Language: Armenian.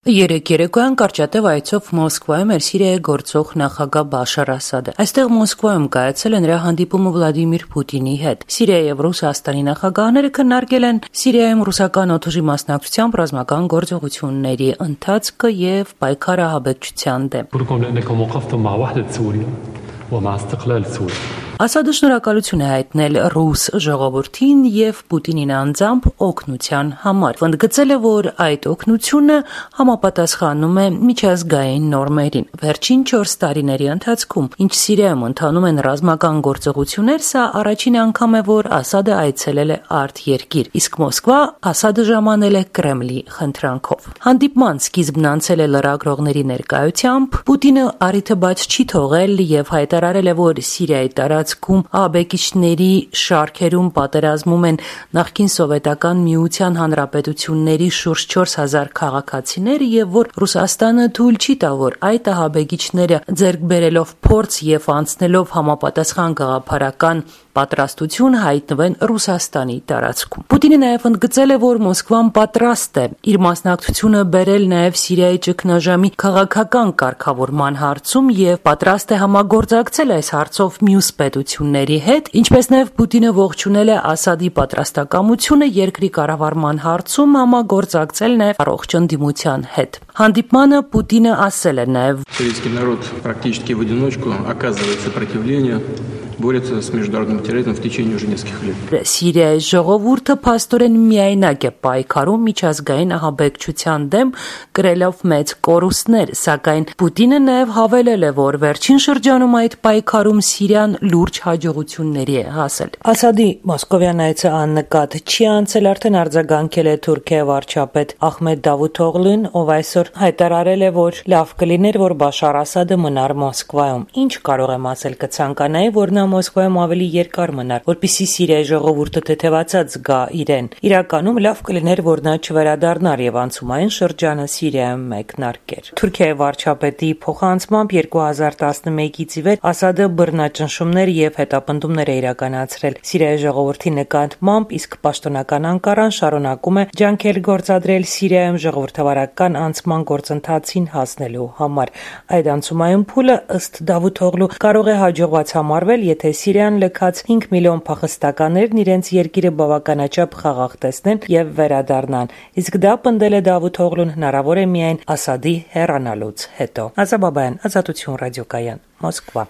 Երեկ երեկոյան կարճատև այցով Մոսկվայում էր Սիրիայի գործող նախագահ Բաշար Ասադը։ Այստեղ Մոսկվայում կայացել է նրա հանդիպումը Վլադիմիր Պուտինի հետ։ Սիրիայի եւ Ռուսաստանի նախագահները քննարկել են Սիրիայում ռուսական օդուժի մասնակցությամբ ռազմական գործողությունների ընթացքը եւ պայքարը ահաբեկչության դեմ։ Ասադը շնորհակալություն է հայտնել ռուս ժողովրդին եւ Պուտինին անձամբ օգնության համար։ Ընդգծել է, որ այդ օգնությունը համապատասխանում է միջազգային նորմերին։ Վերջին 4 տարիների ընթացքում, ինչ Սիրիայում ընթանում են ռազմական գործողություններ, սա առաջին անգամ է, որ Ասադը այցելել է արտերկիր, իսկ Մոսկվա Ասադը ժամանել է Կրեմլի խնդրանքով։ Հանդիպման սկիզբն անցել է լրագրողների ներկայությամբ։ Պուտինը առիթը բաց չի թողել եւ հայտարարել է, որ Սիրիայի տարածքում ահաբեկիչների շարքերում պատերազմում են նախկին Սովետական Միության հանրապետությունների շուրջ 4000 քաղաքացիներ եւ որ Ռուսաստանը թույլ չի տա, որ այդ ահաբեկիչները ձեռք բերելով փորձ եւ անցնելով համապատասխան գաղափարական պատրաստություն հայտնվեն Ռուսաստանի տարածքում։ Պուտինը նաև ընդգծել է, որ Մոսկվան պատրաստ է իր մասնակցությունը բերել նաև Սիրիայի ճգնաժամի քաղաքական կարգավորման հարցում եւ պատրաստ է համագործակցել այս հարցով մյուս պետությունների հետ, ինչպես նաև Պուտինը ողջունել է Ասադի պատրաստակամությունը երկրի կառավարման հարցում համագործակցել նաև առողջ ընդդիմության հետ։ Հանդիպմանը Պուտինը ասել է նաև. Советский народ практически в одиночку оказывает сопротивление, борется с международным терроризмом в течение уже нескольких лет. Սիրիայի ժողովուրդը փաստորեն միայնակ է պայքարում միջազգային ահաբեկչության դեմ, կրելով մեծ կորուստներ, սակայն Պուտինը նաև հավելել է, որ վերջին շրջանում այդ պայքարում Սիրիան լուրջ հաջողությունների է հասել։ Ասադի մոսկովյան այցը աննկատ չի անցել, արդեն արձագանքել է Թուրքիայի վարչապետ Ահմեդ Դավութօղլուն, ով այսօր հայտարարել է, որ լավ կլիներ, որ Բաշար Ասադը մնար Մոսկվայում։ Ինչ կարող եմ ասել, կցանկանայի, որ նա Մոսկվայում ավելի երկար մնար, որպեսզի Սիրիայի ժողովուրդը թեթևացած զգա իրեն։ Իրականում լավ կլիներ, որ նա չվերադառնար եւ անցումային շրջանը Սիրիայում մեկնարկեր։ Թուրքիայի վարչապետի փոխանցմամբ 2011-ից ի վեր Ասադը բռնաճնշումներ եւ հետապնդումներ է իրականացրել Սիրիայի ժողովրդի նկատմամբ, իսկ պաշտոնական Անկարան շարունակում է ջանքեր գործադրել Սիրիայում ժողովրդավարական անցման գործընթացին հասնելու համար։ Այդ անցումային փուլը ըստ Դավութօղլու կարող է հաջողված համարվել, եթե Սիրիան լքած 5 միլիոն փախստականներն իրենց երկիրը բավականաչափ խաղաղ տեսնեն եւ վերադառնան։ Իսկ դա, պնդել է Դավութօղլուն, հնարավոր է միայն Ասադի հեռանալուց հետո։ Ազատություն ռադիոկայան, Մոսկվա։